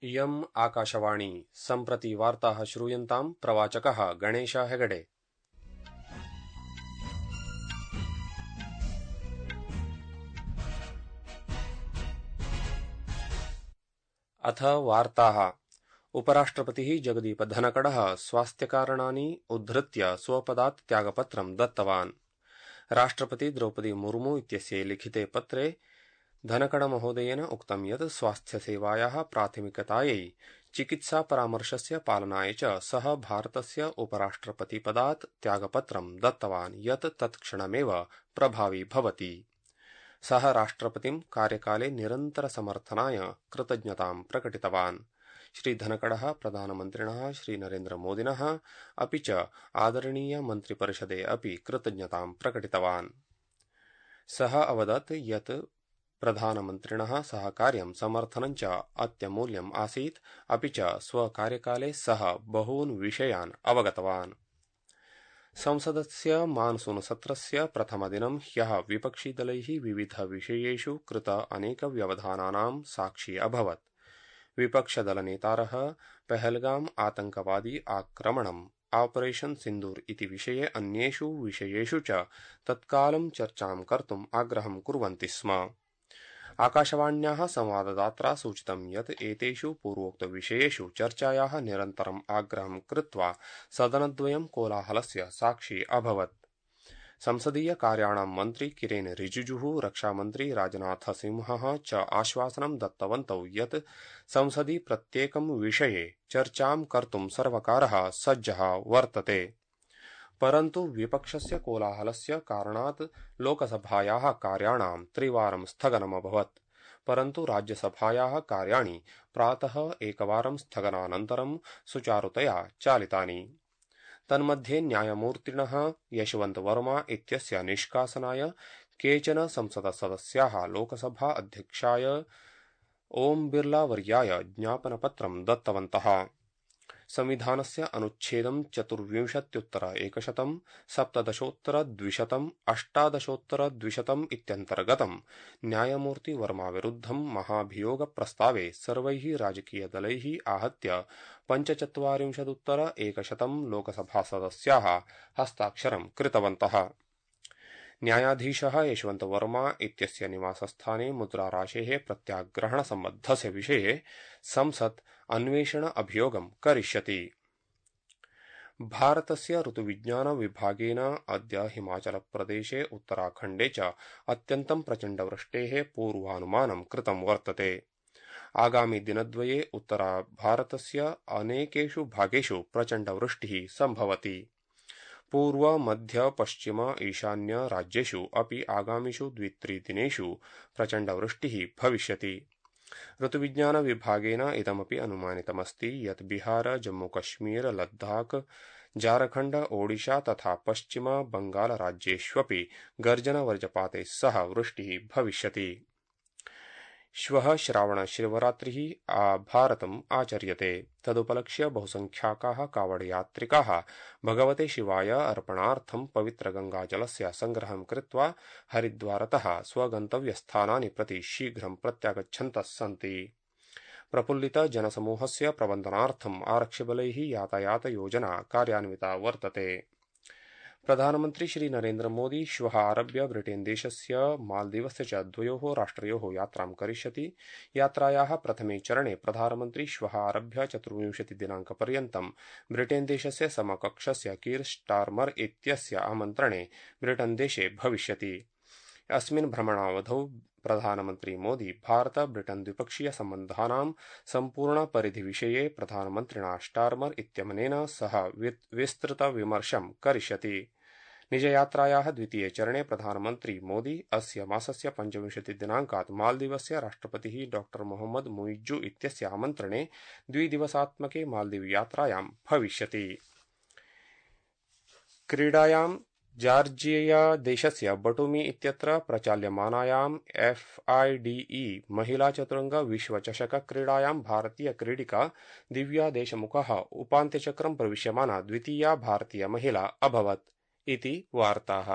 इयम् आकाशवाणी सम्प्रति वार्ताः श्रूयन्ताम् प्रवाचकः गणेश हेगडे। अथ वार्ताः। उपराष्ट्रपतिः जगदीप धनकड़ः स्वास्थ्यकारणानि उद्धृत्य स्वपदात् त्यागपत्रं दत्तवान्। राष्ट्रपति द्रौपदी मुर्मू इत्यस्यै लिखिते पत्रे धनकड़ महोदयेन उक्तं यत् स्वास्थ्यसेवायाः प्राथमिकतायै चिकित्सापरामर्शस्य पालनाय च सः भारतस्य उपराष्ट्रपतिपदात् त्यागपत्रं दत्तवान् यत् तत्क्षणमेव प्रभावी भवति। सः राष्ट्रपतिं कार्यकाले निरन्तरसमर्थनाय कृतज्ञतां प्रकटितवान्। श्री धनकड़ः प्रधानमन्त्रिणः श्री नरेन्द्र मोदिनः अपि च आदरणीय मन्त्रिपरिषदे अपि कृतज्ञतां प्रकटितवान्। सः अवदत् यत् प्रधानमन्त्रिणः सहकार्यं समर्थनं च अत्यमूल्यम् आसीत्, अपि च स्वकार्यकाले सः बहून् विषयान् अवगतवान्। संसदस्य मानसून सत्रस्य प्रथमदिनं ह्यः विपक्षिदलैः विविधविषयेषु कृत अनेकव्यवधानानां साक्षी अभवत्। विपक्षदलनेतारः पहलगाम आतंकवादी आक्रमणम् ऑपरेशन सिन्दूर इति विषये अन्येषु विषयेषु च तत्कालं चर्चां कर्तुम् आग्रहं कुर्वन्ति स्म। आकाशवाण्याः संवाददात्रा सूचितं यत् एतेषु पूर्वोक्तविषयेषु चर्चायाः निरन्तरम् आग्रहं कृत्वा सदनद्वयं कोलाहलस्य साक्षी अभवत्। संसदीय कार्याणां मन्त्री किरेन रिजिजुः, रक्षामन्त्री राजनाथ सिंहः च आश्वासनं दत्तवन्तौ यत् संसदि प्रत्येकं विषये चर्चां कर्तुं सर्वकारः सज्जः वर्तते। परन्तु विपक्षस्य कोलाहलस्य कारणात् लोकसभायाः कार्याणां त्रिवारं स्थगनमभवत्। परन्तु राज्यसभायाः कार्याणि प्रातः एकवारं स्थगनानन्तरं सुचारुतया चालितानि। तन्मध्ये न्यायमूर्तिणः यशवन्त वर्मा इत्यस्य निष्कासनाय केचन संसदसदस्याः लोकसभा अध्यक्षाय ओम बिर्ला वर्याय ज्ञापनपत्रं दत्तवन्तः। संविधानस्य अनुच्छेदं 24-100, 17-200, 18-200 इत्यन्तर्गतं न्यायमूर्ति वर्मा विरुद्धं महाभियोगप्रस्तावे सर्वैः राजकीयदलैः आहत्य 45-100 लोकसभासदस्याः हस्ताक्षरं कृतवन्तः। न्यायाधीशः यशवन्त वर्मा इत्यस्य निवासस्थाने मुद्राराशेः प्रत्याग्रहणसम्बद्धस्य विषये संसत् अन्वेषण अभियोगं करिष्यति। भारतस्य ऋतुविज्ञान विभागेन अद्य हिमाचलप्रदेशे उत्तराखण्डे च अत्यन्तं प्रचण्डवृष्टेः पूर्वानुमानं कृतं वर्तते। आगामि दिनद्वये उत्तरभारतस्य अनेकेषु भागेषु प्रचण्डवृष्टिः सम्भवति। पूर्व मध्य पश्चिम ईशान्य राज्येषु अपि आगामिषु 2-3 दिनेषु प्रचण्डवृष्टिः भविष्यति। ऋतुविज्ञान विभागेन इदमपि अनुमानितमस्ति यत् बिहार, जम्मूकश्मीर, लद्दाख, झारखण्ड, ओडिशा तथा पश्चिम बंगाल राज्येष्वपि गर्जनवज्रपातैः सह वृष्टिः भविष्यति। श्वः श्रावणशिवरात्रिः भारतम् आचर्यते। तदुपलक्ष्य बहुसंख्याकाः कावडयात्रिकाः भगवते शिवाय अर्पणार्थं पवित्रगंगाजलस्य संग्रहं कृत्वा हरिद्वारतः स्वगन्तव्यस्थानानि प्रति शीघ्रं प्रत्यागच्छन्तः सन्ति। प्रफुल्लित जनसमूहस्य प्रबन्धनार्थम् आरक्षिबलैः यातायातयोजना कार्यान्विता वर्तते। प्रधानमन्त्री श्री नरेन्द्र मोदी श्वः आरभ्य ब्रिटेन देशस्य मालदीवस्य च द्वयोः राष्ट्रयोः यात्रां करिष्यति। यात्रायाः प्रथमे चरणे प्रधानमन्त्री श्वः आरभ्य 24 दिनाङ्कपर्यन्तं ब्रिटेन देशस्य समकक्षस्य कीर स्टार्मर इत्यस्य आमन्त्रणे ब्रिटेन देशे भविष्यति। अस्मिन् भ्रमणावधौ प्रधानमन्त्री मोदी भारत ब्रिटेन द्विपक्षीय सम्बन्धानां सम्पूर्णपरिधिविषये प्रधानमन्त्रिणा स्टार्मर इत्यमुनेन सह विस्तृत विमर्शं करिष्यति। निजयात्रायाः द्वितीये चरणे प्रधानमन्त्री मोदी अस्य मासस्य 25 दिनाङ्कात् मालदीवस्य राष्ट्रपतिः डॉ मोहम्मद मुइज्जु इत्यस्य आमन्त्रणे 2 दिवसात्मके मालदीव यात्रायां भविष्यति। क्रीडायां जार्जिया देशस्य बटुमी इत्यत्र प्रचाल्यमानायां FIDE महिला चतुरंग विश्वचषक क्रीडायां भारतीय क्रीडिका दिव्या देशमुखः उपान्त्यचक्रं प्रविश्यमाना द्वितीया भारतीय महिला अभवत् इति वार्ताः।